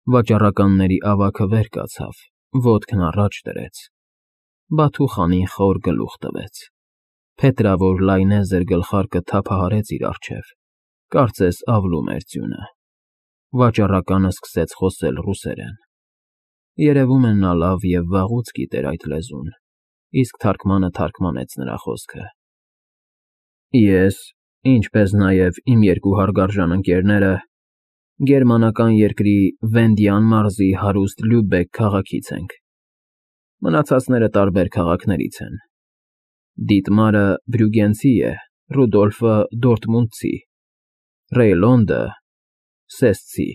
Վաճառականների ավագը վեր կացավ, ոտքն առաջ դրեց, Բաթու խանին խոր գլուխ տվեց, փետրավոր լայնեզր գլխարկը թափահարեց իր առջև, կարծես ավլում էր ձյունը, վաճառականը սկսեց խոսել ռուսերեն, երևում է նա լավ և վաղուց գիտեր այդ լեզուն, իսկ թարգմանը թարգմանեց նրա խոսքը. Ես, ինչպես նաև իմ երկու հարգարժան ընկերները, գերմանական երկրի Վենդյան մարզի հարուստ Լյուբեկ քաղաքից ենք, մնացածները տարբեր քաղաքներից են, Դիտմարը Բրյուգենցի է, Ռուդոլֆը Դորտմունդցի, Ռեյլոնդը Սեսցի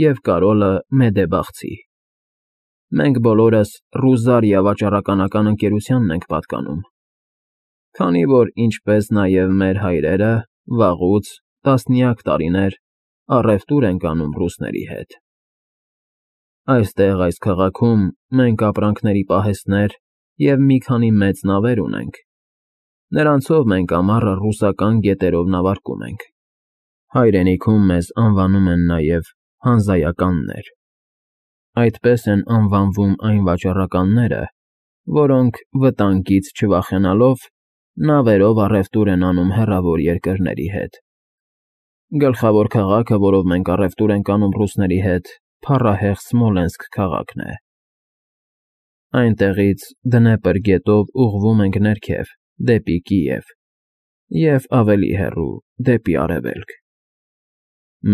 և Կարոլը Մեդեբախցի, մենք բոլորս Ռուզարիա վաճառականական ընկերությանն ենք պատկանում, քանի որ, ինչպես նաև մեր հայրերը, վաղուց, տասնյակ տարիներ առևտուր ենք անում ռուսների հետ։ Այստեղ, այս քաղաքում, մենք ապրանքների պահեստներ և մի քանի մեծ նավեր ունենք, նրանցով մենք ամառը ռուսական գետերով նավարկում ենք, հայրենիքում մեզ անվանում են նաև հանզայականներ, այդպես են անվանվում այն վաճառականները, որոնք վտանգից չվախենալով նավերով առևտուր են անում հեռավոր երկրների հետ։ Գլխավոր քաղաքը, որով մենք առևտուր ենք անում ռուսների հետ, փառահեղ Սմոլենսկ քաղաքն է։ Այնտեղից Դնեպր գետով ուղղվում ենք ներքև, դեպի Կիև և ավելի հեռու, դեպի արևելք։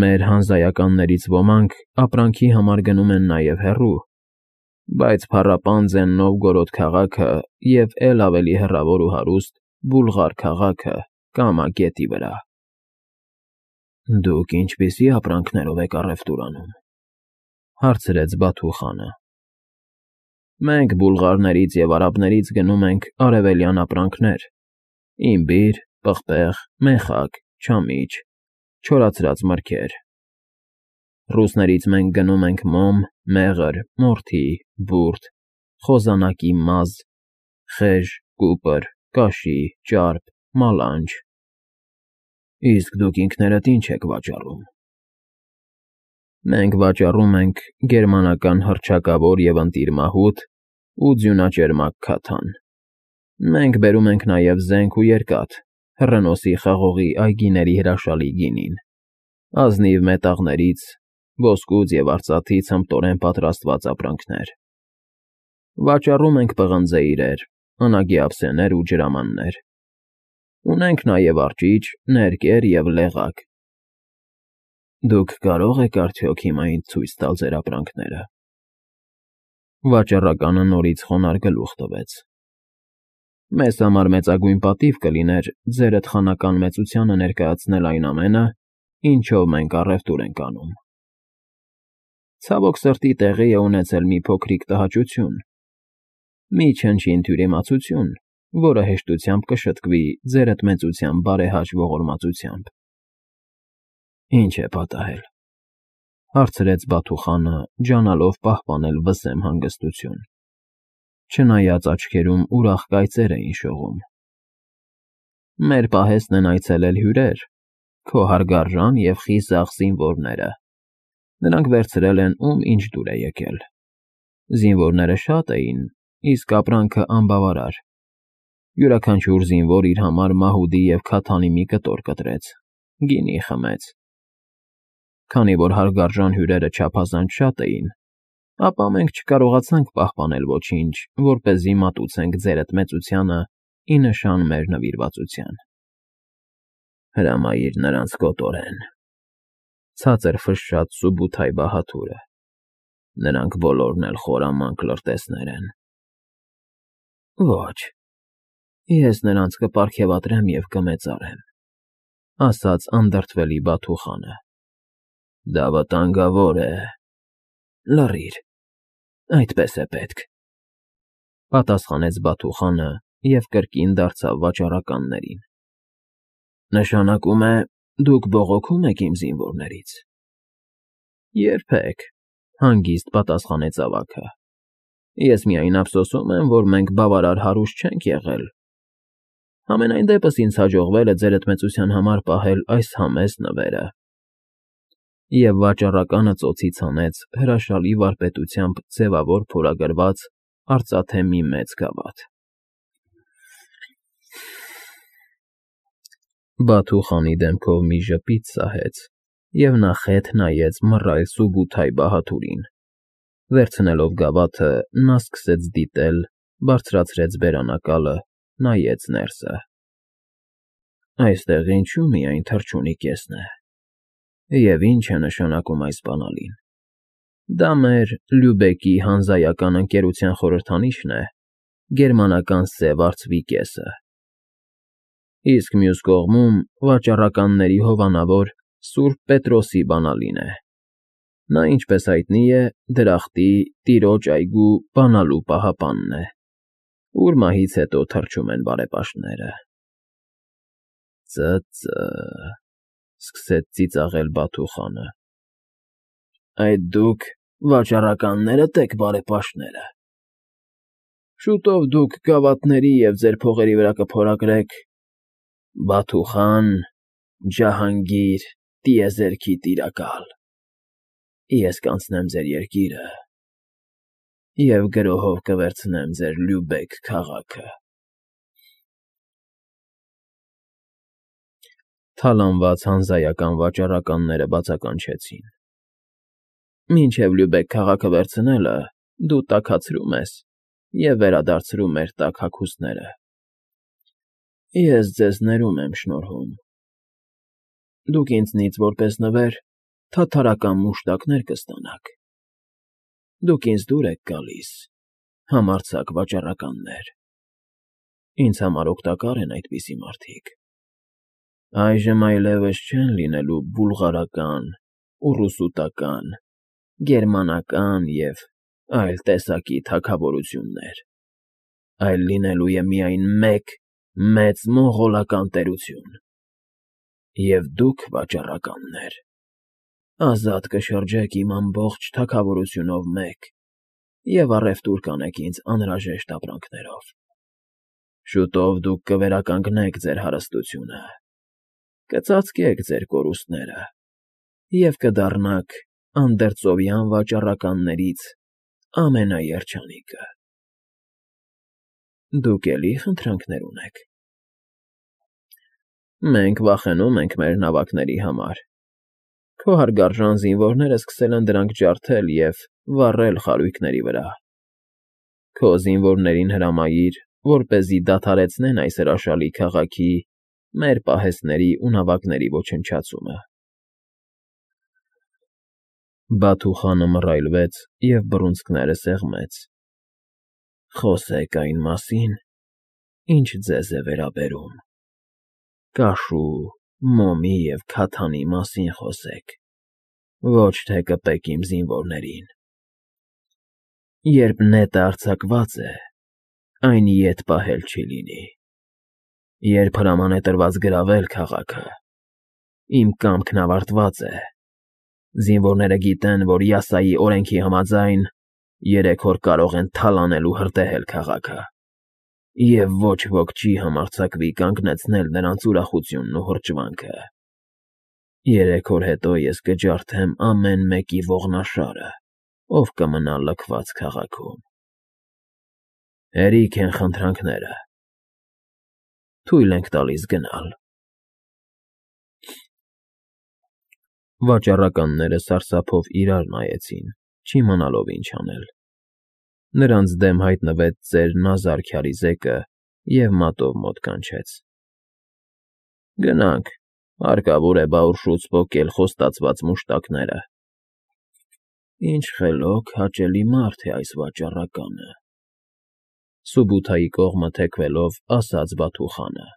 Մեր հանզայականներից ոմանք ապրանքի համար գնում են նաև հեռու, բայց փառապանծ են Նովգորոդ քաղաքը և էլ ավելի հեռավոր ու հարուստ Բուլղար քաղաքը Կամա գետի վրա։ Դուք ինչպիսի ապրանքներով եք առևտուր անում, հարցրեց Բաթու խանը։ Մենք բուլղարներից և արաբներից գնում ենք արևելյան ապրանքներ, իմբիր, պղպեղ, մեխակ, չամիչ, չորացրած մրգեր։ Ռուսներից մենք գնում ենք մոմ, մեղր, մորթի, բուրդ, խոզանակի մազ, խեժ, կուպր, կաշի, ճարպ, մալանջ։ Իսկ դուք ինքներդ ինչ եք վաճառում։ Մենք վաճառում ենք գերմանական հռչակավոր և ընտիր մահութ ու ձյունաճերմակ քաթան։ Մենք բերում ենք նաև զենք ու երկաթ, հռնոսի խաղողի այգիների հրաշալի գինին, ազնիվ մետաղներից, ոսկուց և արծաթից հմտորեն պատրաստված ապրանքներ։ Վաճառում ենք պղնձե իրեր, անագի ափսեներ ու ջրամաններ։ Ունենք նաև արճիճ, ներկեր և լեղակ։ Դուք կարող եք արդյոք հիմա ինձ ցույց տալ ձեր ապրանքները։ Վաճառականը նորից խոնարհ գլուխ տվեց։ Մեզ համար մեծագույն պատիվ կլիներ ձերդ խանական մեծությանը ներկայացնել այն ամենը, ինչով մենք առևտուր ենք անում։ Ցավոք սրտի տեղի է ունեցել մի փոքրիկ տհաճություն, մի չնչին թյուրիմացություն, որը հեշտությամբ կշտկվի ձերդ մեծության բարեհաճ ողորմածությամբ։ Ինչ է պատահել, հարցրեց Բաթու խանը, ջանալով պահպանել վսեմ հանգստություն, չնայած աչքերում ուրախ կայծեր էին շողում։ Մեր պահեստն են այցելել հյուրեր, քո հարգարժան և խիզախ զինվորները։ Նրանք վերցրել են ում ինչ դուր է եկել։ Զինվորները շատ էին, իսկ ապրանքը անբավարար։ Յուրաքանչյուր զինվոր իր համար մահուդի և քաթանի մի կտոր կտրեց, գինի խմեց։ Քանի որ հարգարժան հյուրերը չափազանց շատ էին, ապա մենք չկարողացանք պահպանել ոչինչ, որպեսզի մատուցենք ձերդ մեծությանը ի նշան մեր նվիրվածության։ Հրամայիր նրանց կոտորեն, ցածր ֆշշաց Սուբութայ Բահաթուրը։ Նրանք բոլորն էլ խորամանկ լրտեսներ են։ Ոչ, ես նրանց կպարգևատրեմ և կմեծարեմ, ասաց անդրդվելի Բաթու խանը։ Դա վտանգավոր է։ Լռիր, այդպես է պետք, պատասխանեց Բաթու խանը և կրկին դարձավ վաճառականներին։ Նշանակում է, դուք բողոքում եք իմ զինվորներից։ Երբեք, հանգիստ պատասխանեց ավագը։ Ես միայն ափսոսում եմ, որ մենք բավարար հարուստ չենք եղել։ Համենայն դեպս ինձ հաջողվել է ձերդ մեծության համար պահել այս համեստ նվերը։ և վաճառականը ծոցից հանեց հրաշալի վարպետությամբ ձևավոր փորագրված արծաթե մի մեծ գավաթ։ Բաթու խանի դեմքով մի ժպիտ սահեց, և նա խեթ նայեց մռայլ Սուբութայ Բահադուրին։ Վերցնելով գավաթը, նա սկսեց դիտել, բարձրացրեց բերանակալը, նայեց ներսը։ Այստեղ ինչու՞ միայն թռչունի կեսն է, և ի՞նչ է նշանակում այս բանալին։ Դա մեր Լյուբեկի հանզայական ընկերության խորհրդանիշն է, գերմանական սև արծվի կեսը, իսկ մյուս կողմում վաճառականների հովանավոր Սուրբ Պետրոսի բանալին է։ Նա, ինչպես հայտնի է, դրախտի, տիրոջ այգու բանալու պահապանն է, ուր մահից հետո թռչում են բարեպաշտները։ Ծ֊ծ֊ծ,֊ սկսեց ծիծաղել Բաթու խանը։ Այդ դուք վաճառականներդ եք, բարեպաշտները։ Շուտով դուք գավաթների և ձեր փողերի վրա կփորագրեք Բաթու խան Ջահանգիր տիեզերքի տիրակալ։ Ես կանցնեմ ձեր երկիրը և գրոհով կվերցնեմ ձեր Լյուբեկ քաղաքը։ Թալանված հանզայական վաճառականները բացականչեցին։ Մինչև Լյուբեկ քաղաքը վերցնելը դու տաքացրում ես և վերադարձրում մեր տաք հագուստները։ Ես ձեզ ներում եմ շնորհում։ Դուք ինձնից որպես նվեր թաթարական մուշտակներ կստանաք։ Դուք ինձ դուր եք գալիս, համարձակ վաճառականներ։ Ինձ համար օգտակար են այդպիսի մարդիկ։ Այժմ այլևս չեն լինելու բուլղարական, ուռուսուտական, գերմանական և այլ տեսակի թագավորություններ, այլ լինելու է միայն մեկ մեծ մոնղոլական տերություն։ Եվ դուք, վաճառականներ, ազատ կշրջեք իմ ամբողջ թագավորությունով մեկ և առևտուր կանեք ինձ անհրաժեշտ ապրանքներով։ Շուտով դուք կվերականգնեք ձեր հարստությունը, կծածկեք ձեր կորուստները և կդառնաք անդերձովյան վաճառականներից ամենաերջանիկը։ Դուք էլի խնդրանքներ ունեք։ Մենք վախենում ենք մեր նավակների համար։ Քո հարգարժան զինվորները սկսել են դրանք ջարդել և վառել խարույկների վրա։ Քո զինվորներին հրամայիր, որպեսզի դադարեցնեն այս հրաշալի քաղաքի, մեր պահեստների ու նավակների ոչնչացումը։ Բաթու խանը մռայլվեց և բռունցքները սեղմեց։ Խոսեք այն մասին, ինչ ձեզ է վերաբերում։ Կաշու, մոմի և քաթանի մասին խոսեք, ոչ թե կպեք իմ զինվորներին։ Երբ նետը արձակված է, այն ետ պահել չի լինի։ Երբ հրաման է տրված գրավել քաղաքը, իմ կամքն ավարտված է։ Զինվորները գիտեն, որ Յասայի օրենքի համաձայն 3 օր կարող են թալանել ու հրդեհել քաղաքը, և ոչ ոք չի համարձակվի կանգնեցնել նրանց ուրախությունն ու հրճվանքը։ 3 օր հետո ես կջարդեմ ամեն մեկի ողնաշարը, ով կմնա լքված քաղաքում։ Հերիք են խնդրանքները։ Թույլ ենք տալիս գնալ։ Վաճառականները սարսափով իրար նայեցին, չիմանալով ինչ անել։ Նրանց դեմ հայտնվեց ծեր Նազար քյարիզեկը և մատով մոտ կանչեց։ Գնանք, հարկավոր է բաուռշուց պոկել խոստացված մուշտակները։ Ինչ խելոք հաճելի մարդ է այս վաճառականը, Սուբութայի կողմը թեքվելով ասաց Բաթու խանը։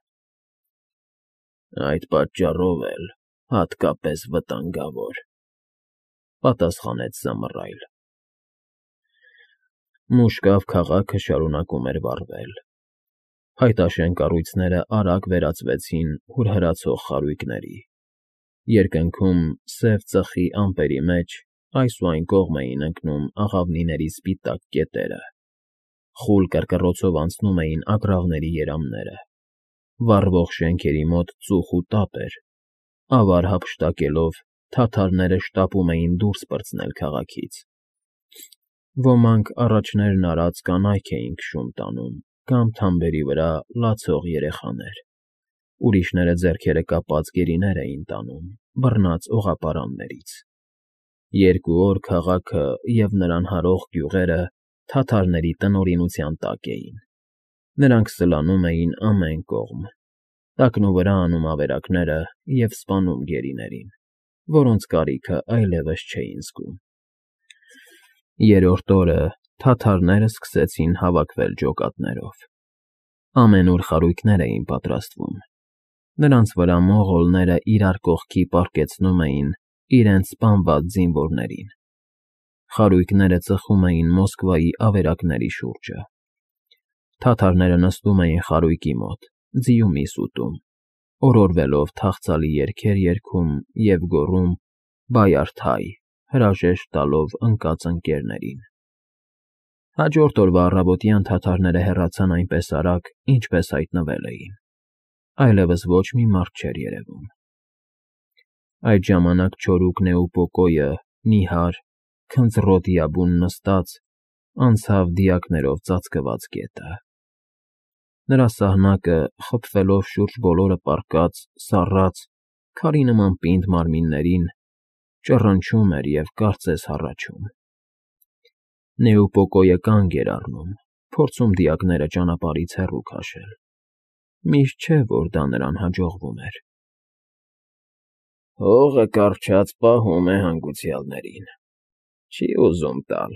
Այդ պատճառով էլ հատկապես վտանգավոր, պատասխանեց սա մռայլ։ Մուշկավ քաղաքը շարունակում էր վառվել։ Փայտաշեն կառույցները արագ վերածվեցին հուրհրացող խարույկների։ Երկնքում սև ծխի ամպերի մեջ այս ու այն կողմ էին ընկնում աղավնիների սպիտակ կետերը, խուլ կռկռոցով անցնում էին ագռավների երամները, վառվող շենքերի մոտ ծուխ ու տապ էր, ավար հափշտակելով թաթարները շտապում էին դուրս պրծնել քաղաքից։ Ոմանք առաջներն արած կանայք էին քշում տանում կամ թամբերի վրա լացող երեխաներ, ուրիշները ձեռքերը կապած գերիներ էին տանում բռնած օղապարաններից։ 2 օր քաղաքը և նրան հարող գյուղերը թաթարների տնօրինության տակ էին։ Նրանք սլանում էին ամեն կողմ, տակնուվրա անում ավերակները և սպանում գերիներին, որոնց կարիքը այլևս չէին զգում։ 3-րդ օրը թաթարները սկսեցին հավաքվել ջոկատներով։ Ամենուր խարույկներ էին պատրաստվում։ Նրանց վրա մողոլները իրար կողքի պառկեցնում էին իրենց սպանված զինվորներին։ Խարույկները ծխում էին Մոսկվայի ավերակների շուրջը։ Թաթարները նստում էին խարույկի մոտ, ձիումիս ուտում, օրորվելով թախծալի երգեր երգում և գոռում «Բայարդ հայ», հրաժեշտ տալով ընկած ընկերներին։ Հաջորդ օրվա առավոտյան թաթարները հեռացան այնպես արագ, ինչպես հայտնվել էին։ Այլևս ոչ մի մարդ չէր երևում։ Այդ ժամանակ չորուկ Նեուպոկոյը, նիհար, քնձռոտ նստած, անցավ դիակներով ծածկված գետը։ Նրա սահնակը, խփվելով շուրջ բոլորը պառկած, սառած, քարի նման պինդ մարմիններին, ճռնչում էր և կարծես հառաչում։ Նեուպոկոյը կանգ էր առնում, փորձում դիակները ճանապարհից հեռու քաշել։ Միշտ չէ, որ դա նրան հաջողվում էր։ «Հողը կառչած պահում է հանգուցյալներին, չի ուզում տալ»,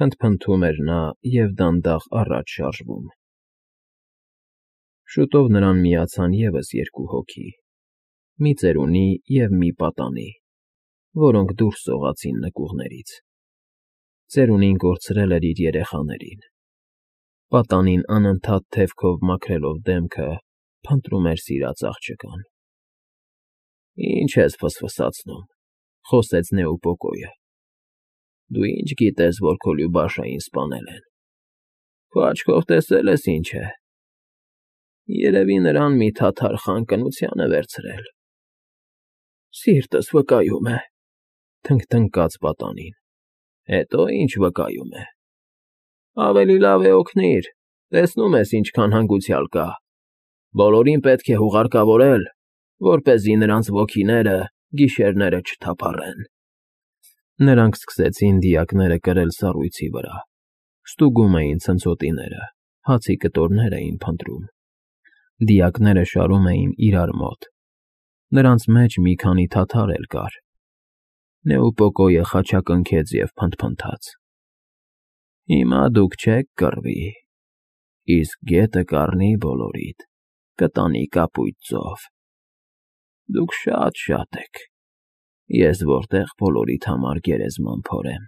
փնթփնթում էր նա և դանդաղ առաջ շարժվում։ Շուտով նրան միացան ևս 2 հոգի՝ մի ծերունի և մի պատանի, որոնք դուրս սողացին նկուղներից։ Ծերունին կորցրել էր իր երեխաներին։ Պատանին անընդհատ թևքով մաքրելով դեմքը, փնտրում էր սիրած աղջկան։ «Ինչ ես ֆսֆսացնում,֊ խոսեց Նեուպոկոյը,֊ դու ինչ գիտես, որ քո Լյուբաշային սպանել են։ Քո աչքով տեսել ես ինչ է։ Երևի նրան մի թաթար խան կնության է վերցրել»։ «Սիրտս վկայում է,֊ թնգթնգաց պատանին,֊ հետո ինչ վկայում է։ Ավելի լավ է օգնիր, տեսնում ես ինչքան հանգուցյալ կա։ Բոլորին պետք է հուղարկավորել, որպեսզի նրանց ոգիները գիշերները չթափառեն»։ Նրանք սկսեցին դիակները կրել սառույցի վրա, ստուգում էին ցնցոտիները, հացի կտորներ էին փնտրում։ Դիակները շարում էին իրար մոտ։ Նրանց մեջ մի քանի թաթար էլ կար։ Նեուպոկոյը խաչակնքեց և փնթփնթաց. «Հիմա դուք չեք կռվի, իսկ գետը կառնի բոլորիդ, կտանի կապույտ ծով։ Դուք շատ եք, ես որտեղ բոլորիդ համար գերեզման փորեմ»։